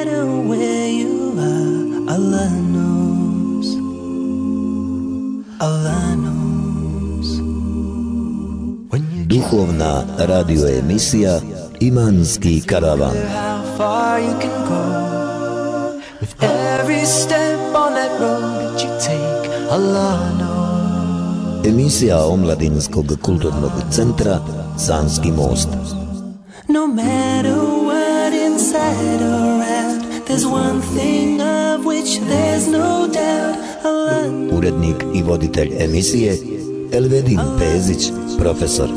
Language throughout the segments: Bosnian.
matter where you are, Allah knows. Allah knows. Duhovna radio emisija Imanski karavan. How far you can go with every step on that road that you take, Allah knows. Emisija Omladinskog kulturnog centra Sanski most. No matter what inside or out, there's one thing of which there's no doubt, Allah knows. Urednik i voditelj emisije Elvedin Pezić, profesor.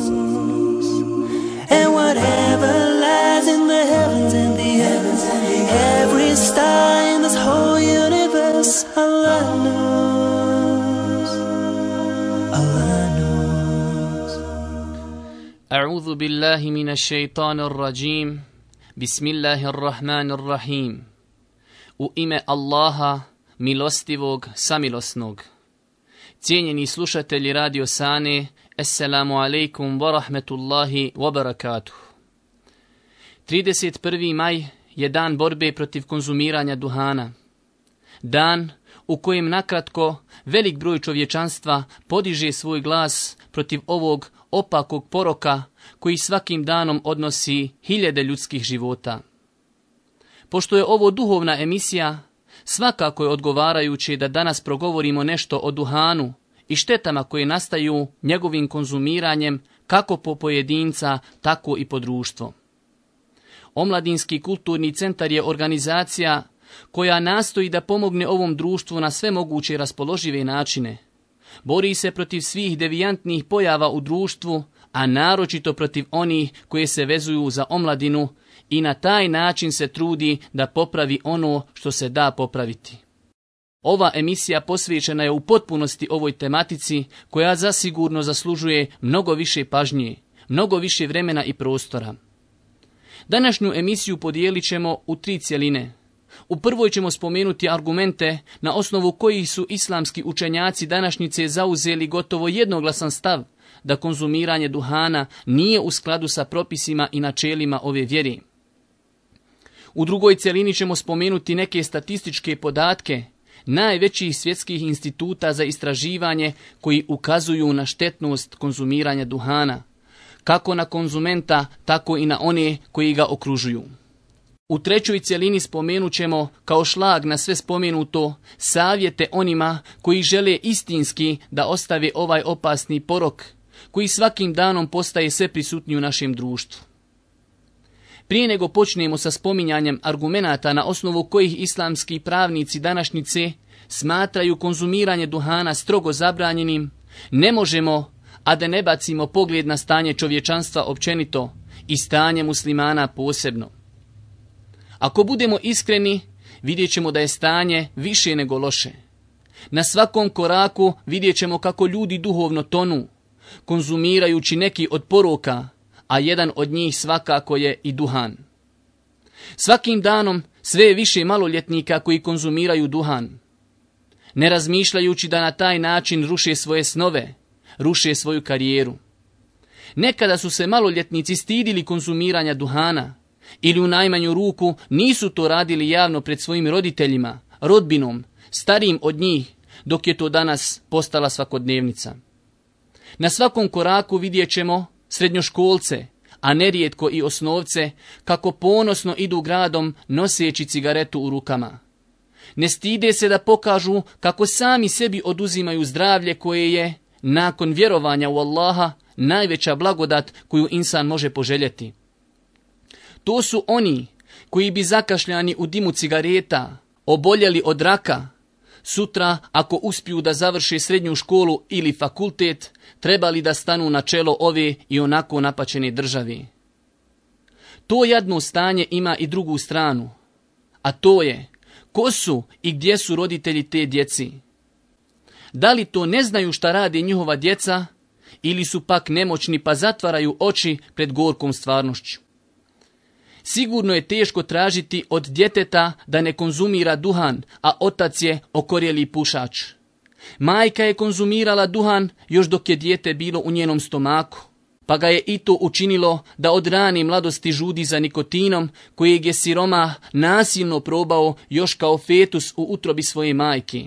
And whatever lies in the heavens and the heavens, every star in this whole universe, Allah knows. Allah knows. أعوذ بالله من الشيطان الرجيم بسم الله الرحمن الرحيم U ime Allaha, milostivog, samilosnog. Cijenjeni slušatelji Radio Sane, Assalamu alaikum wa rahmetullahi wa barakatuh. 31. maj je dan borbe protiv konzumiranja duhana. Dan u kojem nakratko velik broj čovječanstva podiže svoj glas protiv ovog opakog poroka koji svakim danom odnosi hiljade ljudskih života. Pošto je ovo duhovna emisija, svakako je odgovarajuće da danas progovorimo nešto o duhanu i štetama koje nastaju njegovim konzumiranjem kako po pojedinca, tako i po društvo. Omladinski kulturni centar je organizacija koja nastoji da pomogne ovom društvu na sve moguće raspoložive načine. Bori se protiv svih devijantnih pojava u društvu, a naročito protiv onih koje se vezuju za omladinu i na taj način se trudi da popravi ono što se da popraviti. Ova emisija posvećena je u potpunosti ovoj tematici koja zasigurno zaslužuje mnogo više pažnje, mnogo više vremena i prostora. Današnju emisiju podijelit ćemo u 3 cjeline. U prvoj ćemo spomenuti argumente na osnovu kojih su islamski učenjaci današnjice zauzeli gotovo jednoglasan stav da konzumiranje duhana nije u skladu sa propisima i načelima ove vjere. U drugoj cjelini ćemo spomenuti neke statističke podatke najvećih svjetskih instituta za istraživanje koji ukazuju na štetnost konzumiranja duhana, kako na konzumenta, tako i na one koji ga okružuju. U trećoj cjelini spomenut ćemo kao šlag na sve spomenuto savjete onima koji žele istinski da ostave ovaj opasni porok koji svakim danom postaje sve prisutniji u našem društvu. Prije nego počnemo sa spominjanjem argumenata na osnovu kojih islamski pravnici današnjice smatraju konzumiranje duhana strogo zabranjenim, ne možemo, a da ne bacimo pogled na stanje čovječanstva općenito i stanje muslimana posebno. Ako budemo iskreni, vidjet ćemo da je stanje više nego loše. Na svakom koraku vidjet ćemo kako ljudi duhovno tonu, konzumirajući neki od poroka, a jedan od njih svakako je i duhan. Svakim danom sve je više maloljetnika koji konzumiraju duhan, ne razmišljajući da na taj način ruše svoje snove, ruše svoju karijeru. Nekada su se maloljetnici stidili konzumiranja duhana, ili u najmanju ruku nisu to radili javno pred svojim roditeljima, rodbinom, starijim od njih, dok je to danas postala svakodnevnica. Na svakom koraku vidjet ćemo srednjoškolce, a nerijetko i osnovce, kako ponosno idu gradom noseći cigaretu u rukama. Ne stide se da pokažu kako sami sebi oduzimaju zdravlje koje je, nakon vjerovanja u Allaha, najveća blagodat koju insan može poželjeti. To su oni koji bi zakašljani u dimu cigareta, oboljeli od raka, sutra, ako uspiju da završe srednju školu ili fakultet, trebali da stanu na čelo ove i onako napaćene države. To jadno stanje ima i drugu stranu, a to je ko su i gdje su roditelji te djeci. Da li to ne znaju šta rade njihova djeca ili su pak nemoćni pa zatvaraju oči pred gorkom stvarnošću. Sigurno je teško tražiti od djeteta da ne konzumira duhan, a otac je okorjeli pušač. Majka je konzumirala duhan još dok je dijete bilo u njenom stomaku. pa ga je i to učinilo da od rane mladosti žudi za nikotinom kojeg je siromah nasilno probao još kao fetus u utrobi svoje majke.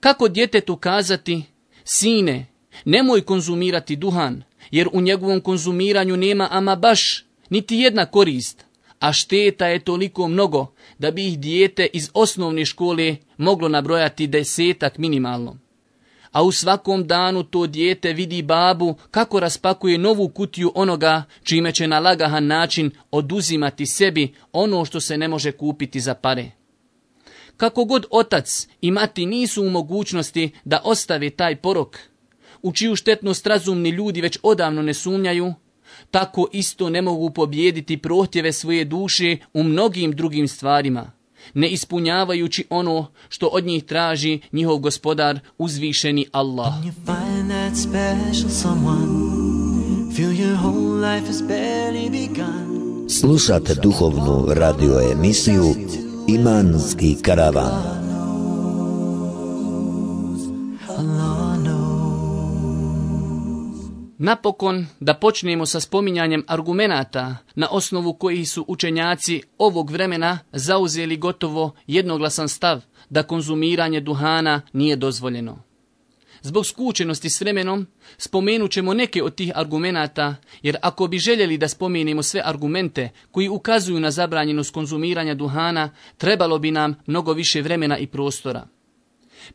Kako djetetu kazati: sine, nemoj konzumirati duhan, jer u njegovom konzumiranju nema ama baš niti jedna korist, a šteta je toliko mnogo da bi ih dijete iz osnovne škole moglo nabrojati 10 minimalno. A u svakom danu to dijete vidi babu kako raspakuje novu kutiju onoga čime će na lagahan način oduzimati sebi ono što se ne može kupiti za pare. Kako god otac i mati nisu u mogućnosti da ostave taj porok, u čiju štetnost razumni ljudi već odavno ne sumnjaju, tako isto ne mogu pobijediti prohtjeve svoje duše u mnogim drugim stvarima, ne ispunjavajući ono što od njih traži njihov gospodar uzvišeni Allah. Slušate duhovnu radio emisiju Imanski karavan. Napokon da počnemo sa spominjanjem argumenata na osnovu kojih su učenjaci ovog vremena zauzeli gotovo jednoglasan stav da konzumiranje duhana nije dozvoljeno. Zbog skučenosti s vremenom spomenut ćemo neke od tih argumenata, jer ako bi željeli da spomenemo sve argumente koji ukazuju na zabranjenost konzumiranja duhana, trebalo bi nam mnogo više vremena i prostora.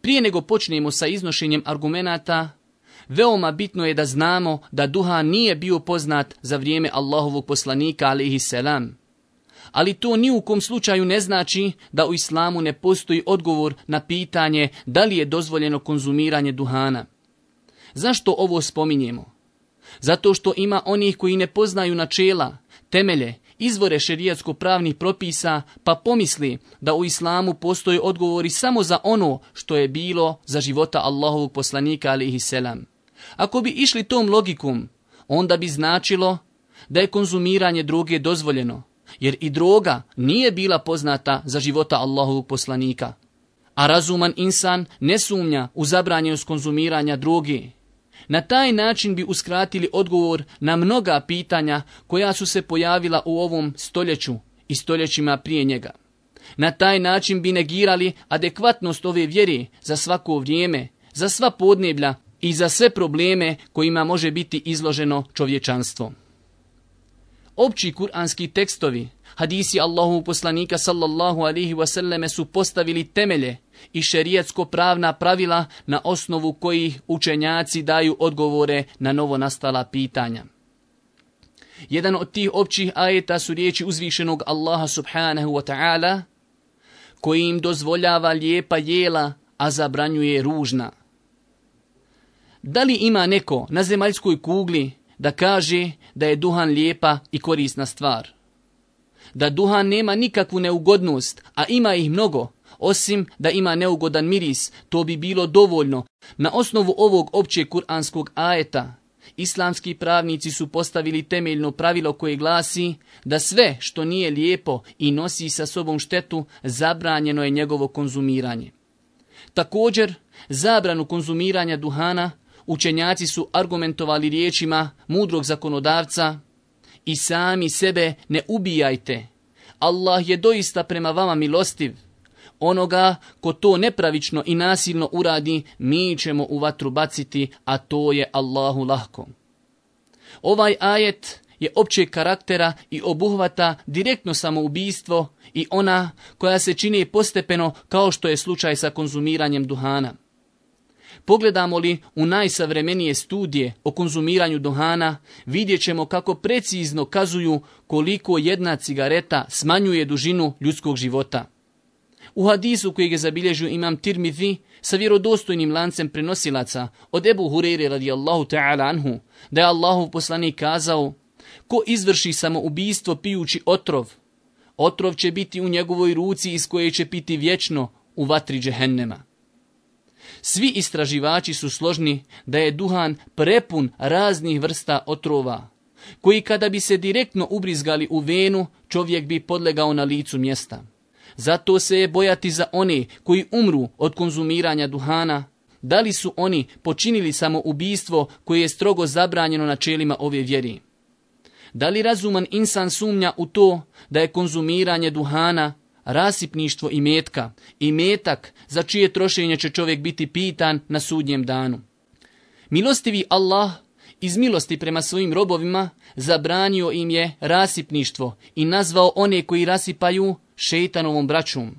Prije nego počnemo sa iznošenjem argumenata, veoma bitno je da znamo da duhan nije bio poznat za vrijeme Allahovog poslanika alejhi selam. Ali to ni u kom slučaju ne znači da u islamu ne postoji odgovor na pitanje da li je dozvoljeno konzumiranje duhana. Zašto ovo spominjemo? Zato što ima onih koji ne poznaju načela, temelje, izvore šerijatsko-pravnih propisa, pa pomisli da u islamu postoje odgovori samo za ono što je bilo za života Allahovog poslanika alejhi selam. Ako bi išli tom logikom, onda bi značilo da je konzumiranje droge dozvoljeno, jer i droga nije bila poznata za života Allahovog poslanika. A razuman insan ne sumnja u zabranjenost konzumiranja droge. Na taj način bi uskratili odgovor na mnoga pitanja koja su se pojavila u ovom stoljeću i stoljećima prije njega. Na taj način bi negirali adekvatnost ove vjere za svako vrijeme, za sva podneblja i za sve probleme kojima može biti izloženo čovječanstvo. Opći kuranski tekstovi, hadisi Allahovog poslanika sallallahu alejhi ve selleme su postavili temelje i šerijatsko-pravna pravila na osnovu kojih učenjaci daju odgovore na novonastala pitanja. Jedan od tih općih ajeta su riječi uzvišenog Allaha subhanahu wa ta'ala, koji im dozvoljava lijepa jela, a zabranjuje ružna. Da li ima neko na zemaljskoj kugli da kaže da je duhan lijepa i korisna stvar? Da duhan nema nikakvu neugodnost, a ima ih mnogo, osim da ima neugodan miris, to bi bilo dovoljno. Na osnovu ovog općeg kuranskog ajeta, islamski pravnici su postavili temeljno pravilo koje glasi da sve što nije lijepo i nosi sa sobom štetu, zabranjeno je njegovo konzumiranje. Također, zabranu konzumiranja duhana učenjaci su argumentovali riječima mudrog zakonodavca: i sami sebe ne ubijajte. Allah je doista prema vama milostiv. Onoga ko to nepravično i nasilno uradi, mi ćemo u vatru baciti, a to je Allahu lahko. Ovaj ajet je općeg karaktera i obuhvata direktno samoubistvo i ona koja se čini postepeno, kao što je slučaj sa konzumiranjem duhana. Pogledamo li u najsavremenije studije o konzumiranju duhana, vidjet ćemo kako precizno kazuju koliko jedna cigareta smanjuje dužinu ljudskog života. U hadisu kojeg je zabilježio imam Tirmidhi sa vjerodostojnim lancem prenosilaca od Ebu Hureyre radijallahu ta'ala anhu, da je Allahov poslanik kazao: ko izvrši samoubistvo pijući otrov, otrov će biti u njegovoj ruci iz koje će piti vječno u vatri džehennema. Svi istraživači su složni da je duhan prepun raznih vrsta otrova, koji kada bi se direktno ubrizgali u venu, čovjek bi podlegao na licu mjesta. Zato se je bojati za one koji umru od konzumiranja duhana, Da li su oni počinili samoubistvo koje je strogo zabranjeno načelima ove vjere? Da li razuman insan sumnja u to da je konzumiranje duhana rasipništvo imetka, imetak za čije trošenje će čovjek biti pitan na sudnjem danu? Milostivi Allah iz milosti prema svojim robovima zabranio im je rasipništvo i nazvao one koji rasipaju šeitanovom braćom.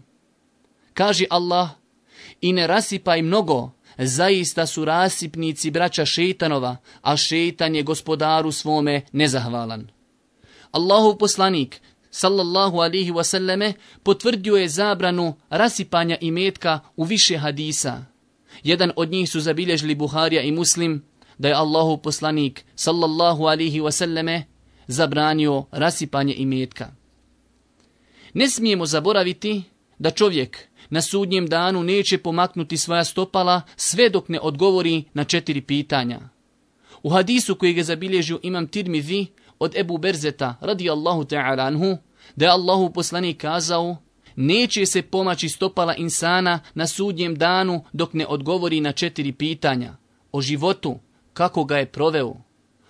Kaže Allah: i ne rasipaj mnogo, zaista su rasipnici braća šeitanova, a šeitan je gospodaru svome nezahvalan. Allahov poslanik sallallahu alihi wasallame potvrdio je zabranu rasipanja imetka u više hadisa. Jedan od njih su zabilježili Buharija i Muslim, da je Allahov poslanik sallallahu alihi wasallame zabranio rasipanje imetka. Ne smijemo zaboraviti da čovjek na sudnjem danu neće pomaknuti svoja stopala sve dok ne odgovori na 4 pitanja. U hadisu kojeg je zabilježio imam Tirmizi od Ebu Berzeta radijallahu ta'ala anhu, da je Allahov poslanik kazao: neće se pomaći stopala insana na sudnjem danu dok ne odgovori na 4 pitanja. O životu, kako ga je proveo,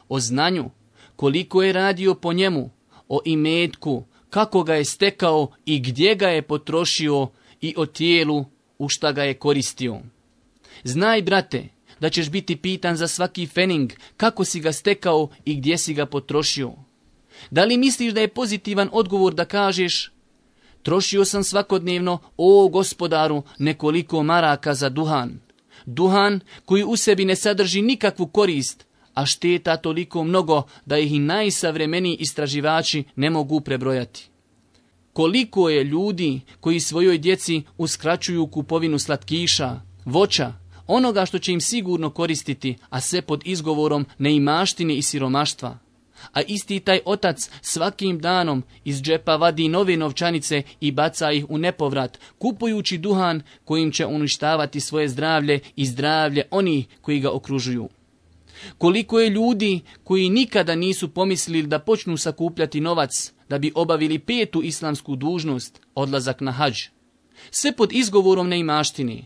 o znanju, koliko je radio po njemu, o imetku, kako ga je stekao i gdje ga je potrošio, i o tijelu u šta ga je koristio. Znaj, brate, da ćeš biti pitan za svaki fening, kako si ga stekao i gdje si ga potrošio. Da li misliš da je pozitivan odgovor da kažeš: trošio sam svakodnevno, o gospodaru, nekoliko maraka za duhan. Duhan koji u sebi ne sadrži nikakvu korist, a šteta toliko mnogo da ih i najsavremeniji istraživači ne mogu prebrojati. Koliko je ljudi koji svojoj djeci uskraćuju kupovinu slatkiša, voća, onoga što će im sigurno koristiti, a sve pod izgovorom neimaštine i siromaštva. A isti taj otac svakim danom iz džepa vadi nove novčanice i baca ih u nepovrat, kupujući duhan kojim će uništavati svoje zdravlje i zdravlje onih koji ga okružuju. Koliko je ljudi koji nikada nisu pomislili da počnu sakupljati novac da bi obavili 5. islamsku dužnost, odlazak na hadž. Sve pod izgovorom neimaštine.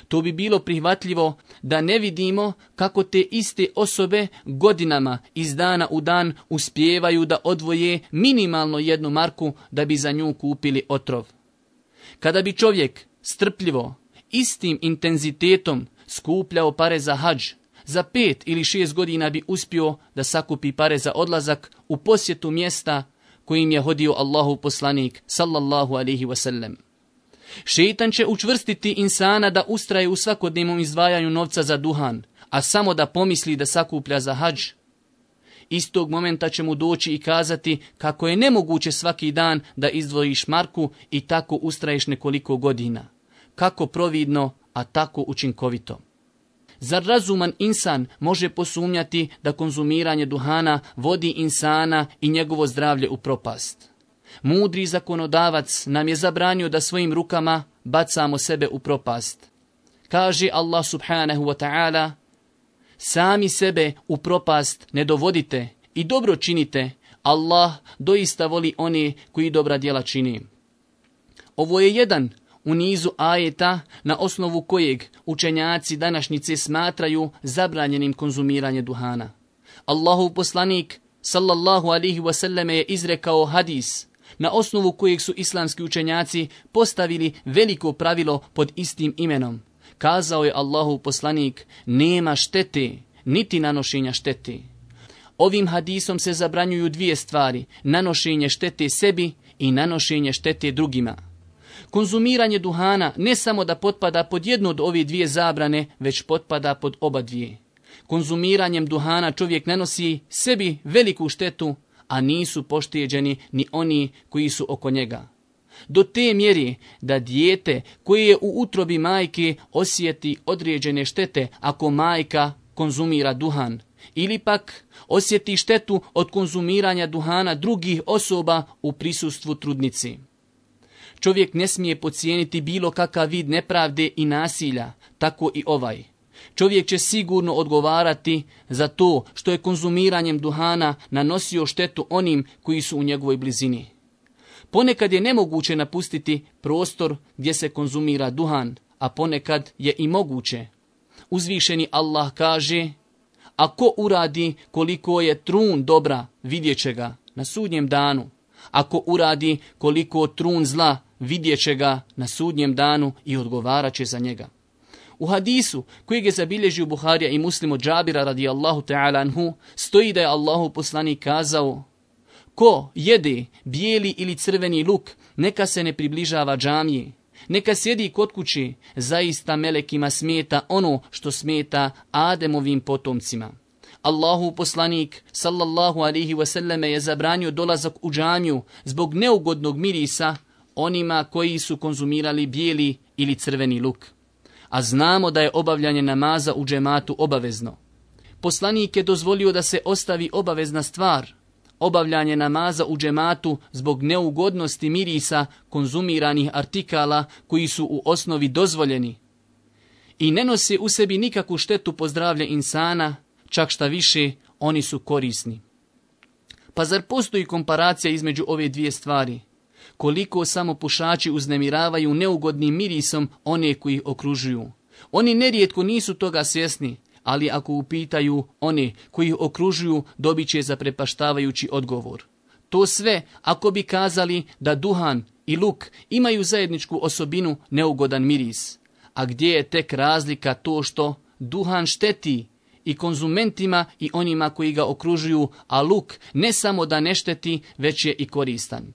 To bi bilo prihvatljivo da ne vidimo kako te iste osobe godinama iz dana u dan uspijevaju da odvoje minimalno 1 marku da bi za nju kupili otrov. Kada bi čovjek strpljivo, istim intenzitetom skupljao pare za hadž, za 5 ili 6 godina bi uspio da sakupi pare za odlazak u posjetu mjesta kojim je hodio Allahov poslanik sallallahu alaihi wasallam. Šeitan će učvrstiti insana da ustraje u svakodnevnom izdvajanju novca za duhan, a samo da pomisli da sakuplja za hadž. Istog momenta će mu doći i kazati kako je nemoguće svaki dan da izdvojiš marku i tako ustraješ nekoliko godina. Kako providno, a tako učinkovito. Zar razuman insan može posumnjati da konzumiranje duhana vodi insana i njegovo zdravlje u propast? Mudri zakonodavac nam je zabranio da svojim rukama bacamo sebe u propast. Kaže Allah subhanahu wa ta'ala: sami sebe u propast ne dovodite i dobro činite, Allah doista voli one koji dobra djela čini. Ovo je jedan u nizu ajeta na osnovu kojeg učenjaci današnjice smatraju zabranjenim konzumiranje duhana. Allahov poslanik sallallahu alaihi wasallam je izrekao hadis na osnovu kojeg su islamski učenjaci postavili veliko pravilo pod istim imenom. Kazao je Allahov poslanik: nema štete, niti nanošenja štete. Ovim hadisom se zabranjuju 2 stvari: nanošenje štete sebi i nanošenje štete drugima. Konzumiranje duhana ne samo da potpada pod jednu od ove 2 zabrane, već potpada pod oba 2. Konzumiranjem duhana čovjek nanosi sebi veliku štetu, a nisu pošteđeni ni oni koji su oko njega. Do te mjeri da dijete koje je u utrobi majke osjeti određene štete ako majka konzumira duhan, ili pak osjeti štetu od konzumiranja duhana drugih osoba u prisustvu trudnici. Čovjek ne smije podcijeniti bilo kakav vid nepravde i nasilja, tako i ovaj. Čovjek će sigurno odgovarati za to što je konzumiranjem duhana nanosio štetu onim koji su u njegovoj blizini. Ponekad je nemoguće napustiti prostor gdje se konzumira duhan, a ponekad je i moguće. uzvišeni Allah kaže: a ko uradi koliko je trun dobra, vidjet će ga na sudnjem danu. Ako uradi koliko trun zla, vidjet će ga na sudnjem danu i odgovarat će za njega. U hadisu kojeg je zabilježio Buharija i Muslim od Džabira radijallahu ta'ala anhu stoji da je Allahu poslanik kazao: ko jede bijeli ili crveni luk, neka se ne približava džamije. Neka sjedi kod kuće, zaista melekima smeta ono što smeta Ademovim potomcima. Allahu poslanik sallallahu alaihi wasallam je zabranio dolazak u džamiju zbog neugodnog mirisa onima koji su konzumirali bijeli ili crveni luk. A znamo da je obavljanje namaza u džematu obavezno. Poslanik je dozvolio da se ostavi obavezna stvar, obavljanje namaza u džematu zbog neugodnosti mirisa konzumiranih artikala koji su u osnovi dozvoljeni i ne nose u sebi nikakvu štetu po zdravlje insana, čak šta više, oni su korisni. Pa zar postoji komparacija između ove dvije stvari? Koliko samo pušači uznemiravaju neugodnim mirisom one koji ih okružuju. Oni nerijetko nisu toga svjesni, ali ako upitaju one koji ih okružuju, dobit će zaprepaštavajući odgovor. To sve ako bi kazali da duhan i luk imaju zajedničku osobinu neugodan miris. A gdje je tek razlika to što duhan šteti i konzumentima i onima koji ga okružuju, a luk ne samo da ne šteti, već je i koristan.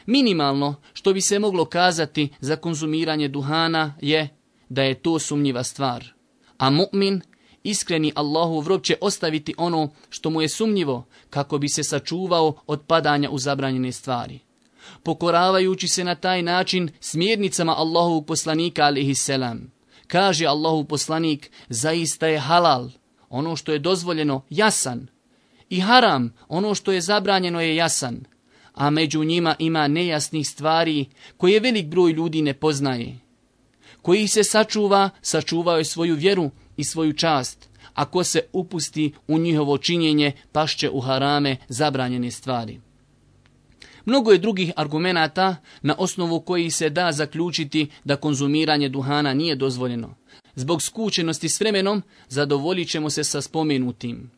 Minimalno što bi se moglo kazati za konzumiranje duhana je da je to sumnjiva stvar. A mu'min, iskreni Allahov rob, će ostaviti ono što mu je sumnjivo kako bi se sačuvao od padanja u zabranjene stvari. Pokoravajući se na taj način smjernicama Allahovog poslanika alejhiselam. Kaže Allahov poslanik: zaista je halal, ono što je dozvoljeno, jasan, i haram, ono što je zabranjeno, je jasan, a među njima ima nejasnih stvari koje velik broj ljudi ne poznaje. Koji se sačuvao je svoju vjeru i svoju čast. Ako se upusti u njihovo činjenje, pašće u harame, zabranjene stvari. Mnogo je drugih argumenata na osnovu kojih se da zaključiti da konzumiranje duhana nije dozvoljeno. Zbog skučenosti s vremenom zadovoljit ćemo se sa spomenutim.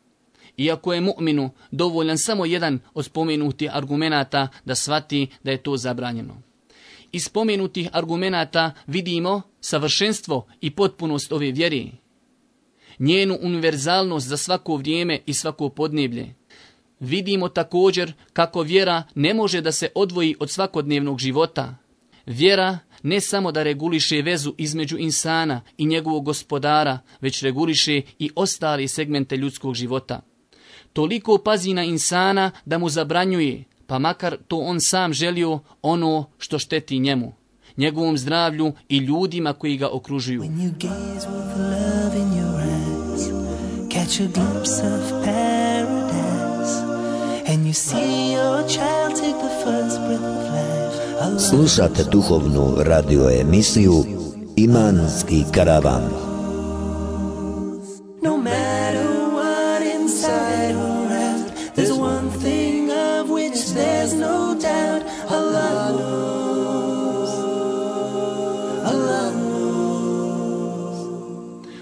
Iako je mu'minu dovoljan samo jedan od spomenutih argumenata da shvati da je to zabranjeno. Iz spomenutih argumenata vidimo savršenstvo i potpunost ove vjere, njenu univerzalnost za svako vrijeme i svako podneblje. Vidimo također kako vjera ne može da se odvoji od svakodnevnog života. Vjera ne samo da reguliše vezu između insana i njegovog gospodara, već reguliše i ostale segmente ljudskog života. Toliko pazi na insana da mu zabranjuje, pa makar to on sam želio, ono što šteti njemu, njegovom zdravlju i ljudima koji ga okružuju. When you gaze with love in your eyes, catch a glimpse of paradise, and you see your child take the first breath of life. Slušate duhovnu radio emisiju Imanski karavan. No matter what inside or out, there's one thing of which there's no doubt. Allah knows. Allah knows.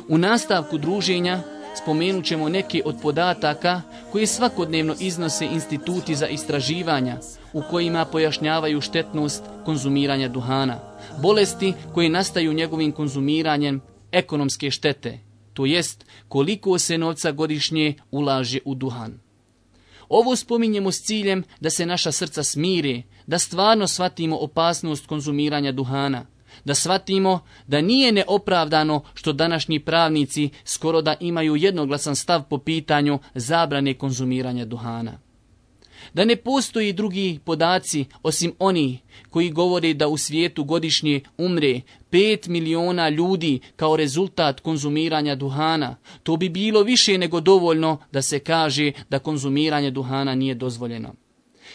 U nastavku druženja spomenut ćemo neke od podataka koje svakodnevno iznose instituti za istraživanja u kojima pojašnjavaju štetnost konzumiranja duhana, bolesti koje nastaju njegovim konzumiranjem, ekonomske štete, to jest koliko se novca godišnje ulaže u duhan. Ovo spominjemo s ciljem da se naša srca smire, da stvarno shvatimo opasnost konzumiranja duhana, da shvatimo da nije neopravdano što današnji pravnici skoro da imaju jednoglasan stav po pitanju zabrane konzumiranja duhana. Da ne postoji drugi podaci osim oni koji govore da u svijetu godišnje umre 5 miliona ljudi kao rezultat konzumiranja duhana, to bi bilo više nego dovoljno da se kaže da konzumiranje duhana nije dozvoljeno.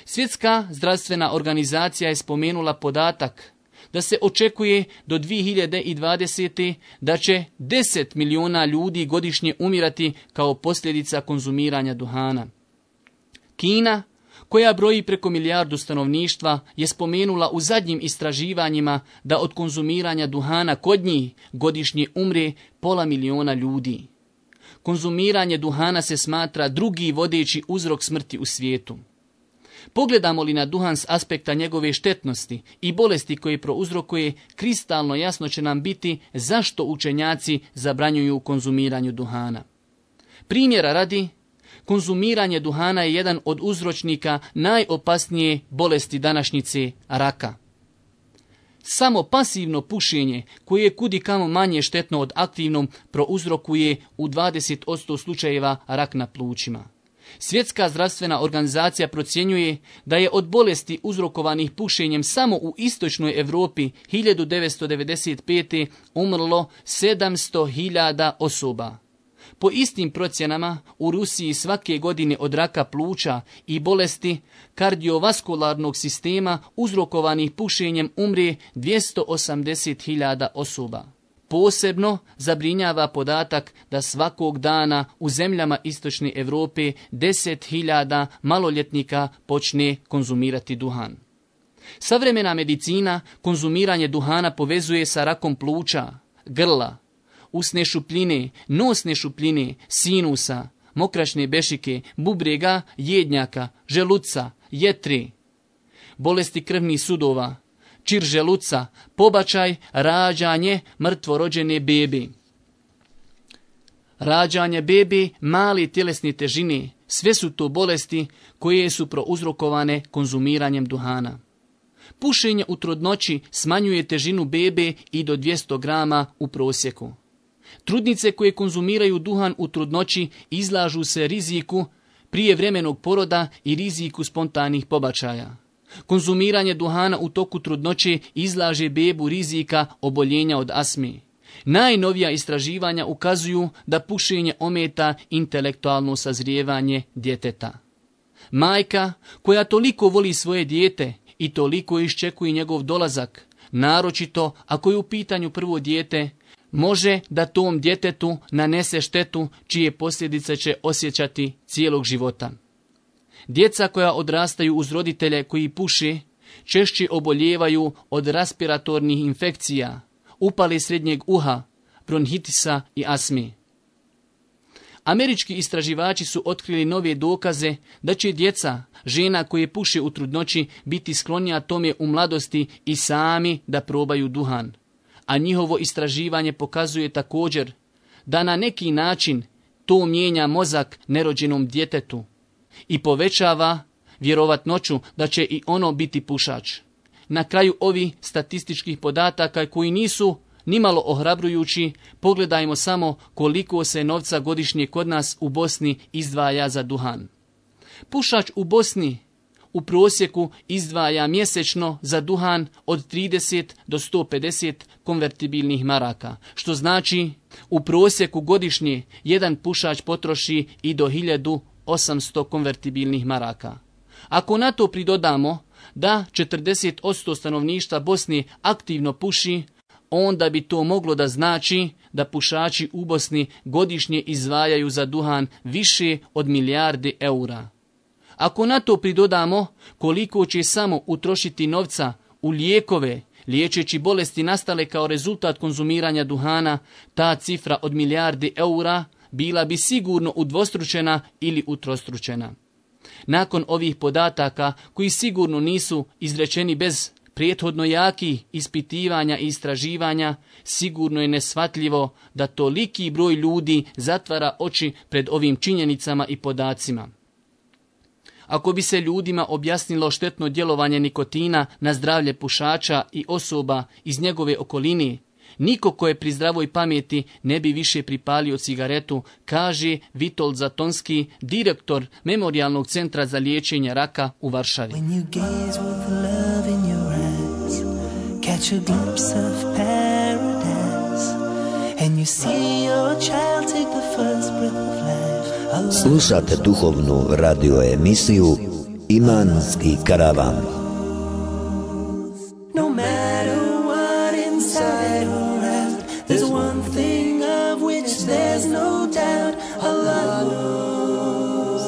Svjetska zdravstvena organizacija je spomenula podatak da se očekuje do 2020. da će 10 miliona ljudi godišnje umirati kao posljedica konzumiranja duhana. Kina, koja broji preko 1 milijardu stanovništva, je spomenula u zadnjim istraživanjima da od konzumiranja duhana kod njih godišnje umre 500 miliona ljudi. Konzumiranje duhana se smatra drugi vodeći uzrok smrti u svijetu. Pogledamo li na duhan s aspekta njegove štetnosti i bolesti koje prouzrokuje, kristalno jasno će nam biti zašto učenjaci zabranjuju konzumiranju duhana. Primjera radi, konzumiranje duhana je jedan od uzročnika najopasnije bolesti današnjice, raka. Samo pasivno pušenje, koje je kudikamo manje štetno od aktivnom, prouzrokuje u 20% slučajeva rak na plućima. Svjetska zdravstvena organizacija procjenjuje da je od bolesti uzrokovanih pušenjem samo u istočnoj Europi 1995. umrlo 700.000 osoba. Po istim procjenama, u Rusiji svake godine od raka pluća i bolesti kardiovaskularnog sistema uzrokovanih pušenjem umre 280.000 osoba. Posebno zabrinjava podatak da svakog dana u zemljama istočne Europe 10.000 maloljetnika počne konzumirati duhan. Savremena medicina konzumiranje duhana povezuje sa rakom pluća, grla, usne šupljine, nosne šupljine, sinusa, mokraćne bešike, bubrega, jednjaka, želuca, jetre, bolesti krvnih sudova, čir želuca, pobačaj, rađanje mrtvorođene bebe. Rađanje bebe male tjelesne težine, sve su to bolesti koje su prouzrokovane konzumiranjem duhana. Pušenje u trudnoći smanjuje težinu bebe i do 200 grama u prosjeku. Trudnice koje konzumiraju duhan u trudnoći izlažu se riziku prijevremenog poroda i riziku spontanih pobačaja. Konzumiranje duhana u toku trudnoće izlaže bebu rizika oboljenja od astme. Najnovija istraživanja ukazuju da pušenje ometa intelektualno sazrijevanje djeteta. Majka koja toliko voli svoje dijete i toliko iščekuje njegov dolazak, naročito ako je u pitanju prvo dijete, može da tom djetetu nanese štetu čije posljedice će osjećati cijelog života. Djeca koja odrastaju uz roditelje koji puše češće oboljevaju od respiratornih infekcija, upale srednjeg uha, bronhitisa i astme. Američki istraživači su otkrili nove dokaze da će djeca žena koje puše u trudnoći biti sklonija tome u mladosti i sami da probaju duhan. A njihovo istraživanje pokazuje također da na neki način to mijenja mozak nerođenom djetetu i povećava vjerovatnoću da će i ono biti pušač. Na kraju ovih statističkih podataka koji nisu nimalo ohrabrujući, pogledajmo samo koliko se novca godišnje kod nas u Bosni izdvaja za duhan. Pušač u Bosni u prosjeku izdvaja mjesečno za duhan od 30 do 150 konvertibilnih maraka, što znači u prosjeku godišnje jedan pušač potroši i do 1800 konvertibilnih maraka. Ako na to pridodamo da 40% stanovništva Bosni aktivno puši, onda bi to moglo da znači da pušači u Bosni godišnje izdvajaju za duhan više od 1 milijarde eura. Ako na to pridodamo koliko će samo utrošiti novca u lijekove, liječeći bolesti nastale kao rezultat konzumiranja duhana, ta cifra od 1 milijarde eura bila bi sigurno udvostručena ili utrostručena. Nakon ovih podataka, koji sigurno nisu izrečeni bez prethodno jakih ispitivanja i istraživanja, sigurno je neshvatljivo da toliki broj ljudi zatvara oči pred ovim činjenicama i podacima. Ako bi se ljudima objasnilo štetno djelovanje nikotina na zdravlje pušača i osoba iz njegove okoline, niko ko je pri zdravoj pameti ne bi više pripalio cigaretu, kaže Witold Zatonski, direktor Memorijalnog centra za liječenje raka u Varšavi. When you gaze with love in your eyes, catch a glimpse of paradise, and you see your child take the first breath of life. Slušate duhovnu radio emisiju Imanski karavan. No matter what inside or out, there's one thing of which there's no doubt. Allah knows.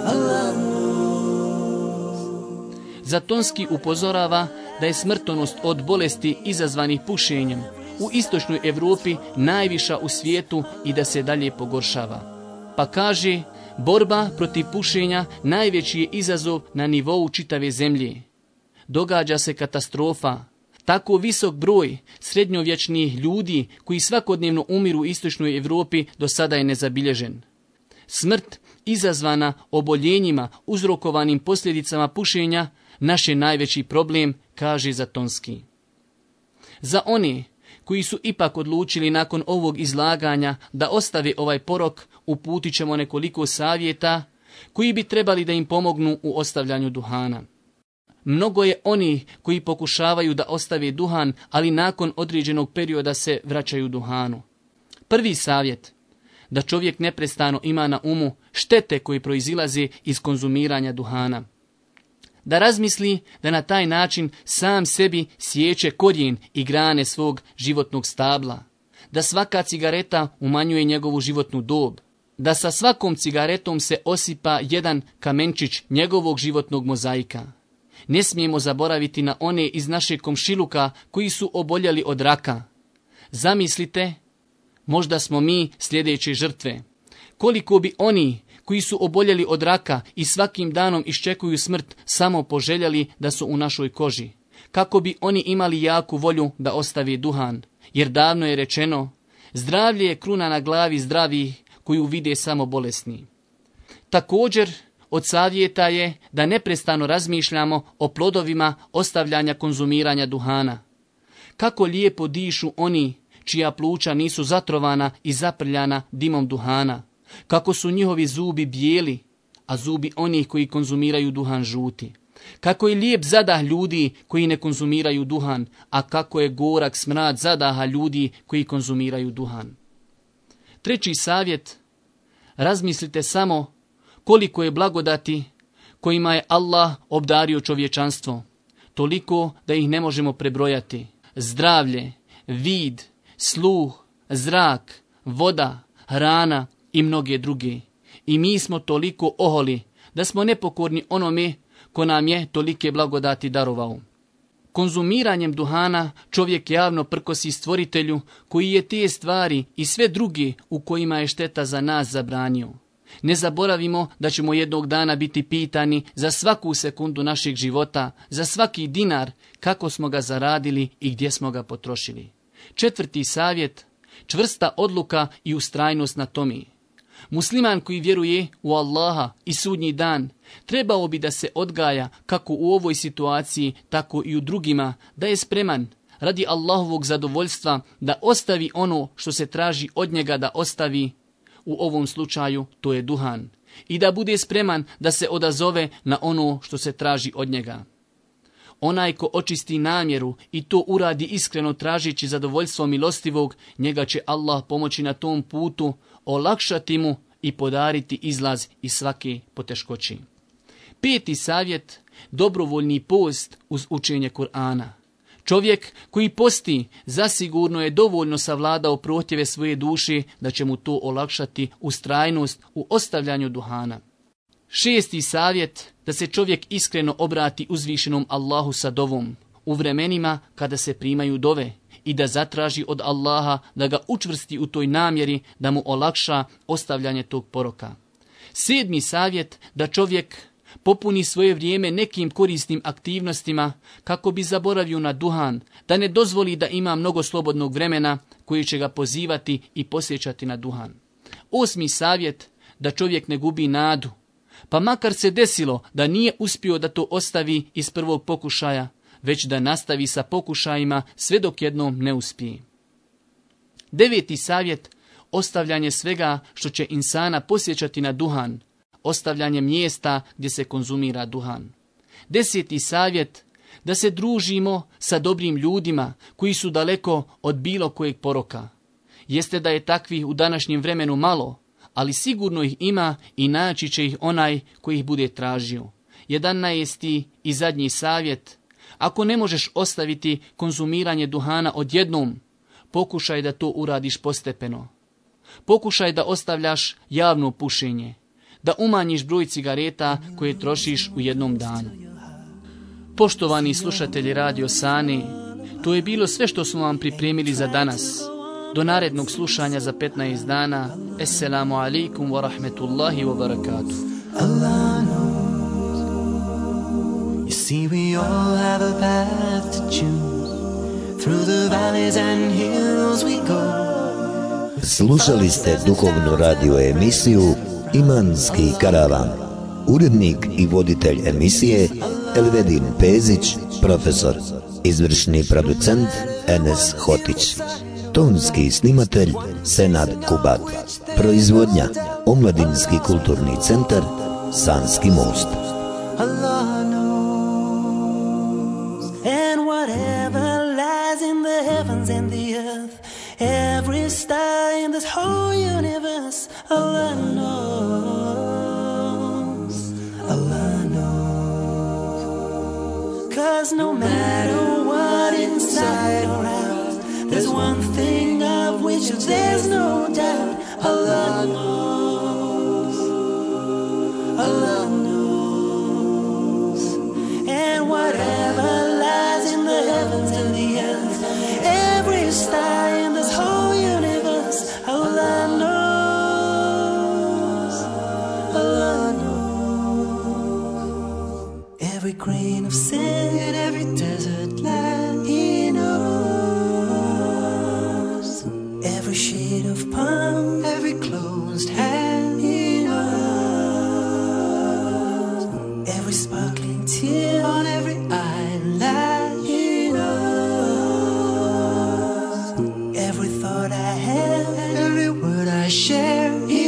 Allah knows. Zatonski upozorava da je smrtonost od bolesti izazvanih pušenjem u istočnoj Europi najviša u svijetu i da se dalje pogoršava. Pa kaže, borba protiv pušenja najveći je izazov na nivou čitave zemlje. Događa se katastrofa. Tako visok broj srednjovječnih ljudi koji svakodnevno umiru u istočnoj Europi do sada je nezabilježen. Smrt izazvana oboljenjima uzrokovanim posljedicama pušenja naš je najveći problem, kaže Zatonski. Za one koji su ipak odlučili nakon ovog izlaganja da ostave ovaj porok, uputit ćemo nekoliko savjeta koji bi trebali da im pomognu u ostavljanju duhana. Mnogo je onih koji pokušavaju da ostave duhan, ali nakon određenog perioda se vraćaju duhanu. Prvi savjet, da čovjek neprestano ima na umu štete koje proizilaze iz konzumiranja duhana. Da razmisli da na taj način sam sebi sječe korijen i grane svog životnog stabla. Da svaka cigareta umanjuje njegovu životnu dob. Da sa svakom cigaretom se osipa jedan kamenčić njegovog životnog mozaika. Ne smijemo zaboraviti na one iz našeg komšiluka koji su oboljeli od raka. Zamislite, možda smo mi sljedeće žrtve. Koliko bi oni koji su oboljeli od raka i svakim danom iščekuju smrt samo poželjeli da su u našoj koži. Kako bi oni imali jaku volju da ostave duhan. Jer davno je rečeno, zdravlje je kruna na glavi zdravih koju vide samo bolesni. Također, od savjeta je da neprestano razmišljamo o plodovima ostavljanja konzumiranja duhana. Kako lijepo dišu oni čija pluća nisu zatrovana i zaprljana dimom duhana. Kako su njihovi zubi bijeli, a zubi onih koji konzumiraju duhan žuti. Kako je lijep zadah ljudi koji ne konzumiraju duhan, a kako je gorak smrad zadaha ljudi koji konzumiraju duhan. Treći savjet, razmislite samo koliko je blagodati kojima je Allah obdario čovječanstvo. Toliko da ih ne možemo prebrojati. Zdravlje, vid, sluh, zrak, voda, hrana i mnoge druge. I mi smo toliko oholi da smo nepokorni onome ko nam je tolike blagodati darovao. Konzumiranjem duhana čovjek javno prkosi stvoritelju koji je te stvari i sve druge u kojima je šteta za nas zabranio. Ne zaboravimo da ćemo jednog dana biti pitani za svaku sekundu našeg života, za svaki dinar, kako smo ga zaradili i gdje smo ga potrošili. Četvrti savjet, čvrsta odluka i ustrajnost na tome. Musliman koji vjeruje u Allaha i sudnji dan, trebao bi da se odgaja kako u ovoj situaciji, tako i u drugima, da je spreman radi Allahovog zadovoljstva da ostavi ono što se traži od njega da ostavi, u ovom slučaju to je duhan, i da bude spreman da se odazove na ono što se traži od njega. Onaj ko očisti namjeru i to uradi iskreno tražeći zadovoljstvo milostivog, njega će Allah pomoći na tom putu, olakšati mu i podariti izlaz iz svake poteškoći. Peti savjet, dobrovoljni post uz učenje Kur'ana. Čovjek koji posti zasigurno je dovoljno savladao prohtjeve svoje duše da će mu to olakšati ustrajnost u ostavljanju duhana. Šesti savjet, da se čovjek iskreno obrati uzvišenom Allahu sa dovom u vremenima kada se primaju dove i da zatraži od Allaha da ga učvrsti u toj namjeri da mu olakša ostavljanje tog poroka. Sedmi savjet, da čovjek popuni svoje vrijeme nekim korisnim aktivnostima kako bi zaboravio na duhan, da ne dozvoli da ima mnogo slobodnog vremena koji će ga pozivati i posjećati na duhan. Osmi savjet, da čovjek ne gubi nadu, pa makar se desilo da nije uspio da to ostavi iz prvog pokušaja, već da nastavi sa pokušajima sve dok jednom ne uspije. Deveti savjet, ostavljanje svega što će insana posjećati na duhan, ostavljanje mjesta gdje se konzumira duhan. 10. savjet, da se družimo sa dobrim ljudima koji su daleko od bilo kojeg poroka. Jeste da je takvih u današnjem vremenu malo, ali sigurno ih ima i naći će ih onaj koji ih bude tražio. 11. i zadnji savjet, ako ne možeš ostaviti konzumiranje duhana odjednom, pokušaj da to uradiš postepeno. Pokušaj da ostavljaš javno pušenje, da umanjiš broj cigareta koje trošiš u jednom danu. Poštovani slušatelji Radio Sani, to je bilo sve što smo vam pripremili za danas. Do narednog slušanja za 15 dana. Assalamu alaikum wa rahmetullahi wa barakatuh. Allah knows. You see, we all have a path to choose. Through the valleys and hills we go. Slušali ste duhovnu radio emisiju Imanski karavan. Urednik i voditelj emisije Elvedin Pezić, profesor. Izvršni producent Enes Hotić. Tonski snimatelj Senad Kubat. Proizvodnja Omladinski kulturni centar Sanski most. Allah knows. And whatever lies in the heavens and the earth, every star in this whole universe, Allah knows. Allah knows. 'Cause no matter what inside or out, there's one thing of which there's no doubt. Allah knows. Allah knows. And whatever lies in the heavens and the earth, every star in this whole universe, Allah knows. Allah knows. Every grain of sand in every desert land, He knows. Every shade of palm, every closed hand, He knows. Every sparkling tear on every eyelid, He knows. Every thought I have, every word I share, He